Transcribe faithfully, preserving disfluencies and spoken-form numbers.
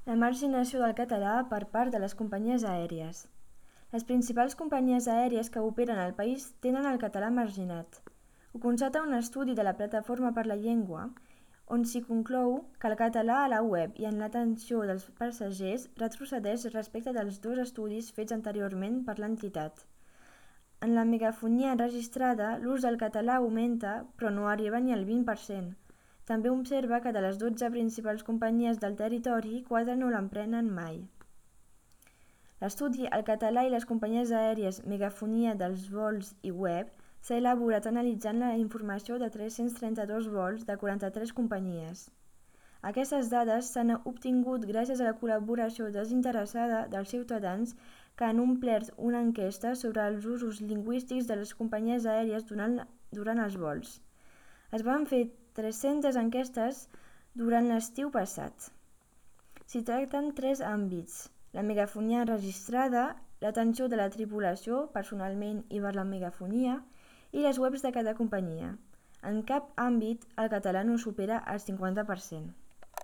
La marginació del català per part de les companyies aèries. Les principals companyies aèries que operen al país tenen el català marginat. Ho constata un estudi de la Plataforma per la Llengua, on s'hi conclou que el català a la web i en l'atenció dels passatgers retrocedeix respecte dels dos estudis fets anteriorment per l'entitat. En la megafonia enregistrada, l'ús del català augmenta, però no arriba ni al vint per cent. També observa que de les dotze principals companyies del territori, quatre no l'emprenen mai. L'estudi El català i les companyies aèries, megafonia dels vols i web s'ha elaborat analitzant la informació de tres-cents trenta-dos vols de quaranta-tres companyies. Aquestes dades s'han obtingut gràcies a la col·laboració desinteressada dels ciutadans que han omplert una enquesta sobre els usos lingüístics de les companyies aèries durant, durant els vols. Es van fer tres-centes enquestes durant l'estiu passat. S'hi tracten tres àmbits: la megafonia enregistrada, l'atenció de la tripulació, personalment i per la megafonia, i les webs de cada companyia. En cap àmbit el català no supera el cinquanta per cent.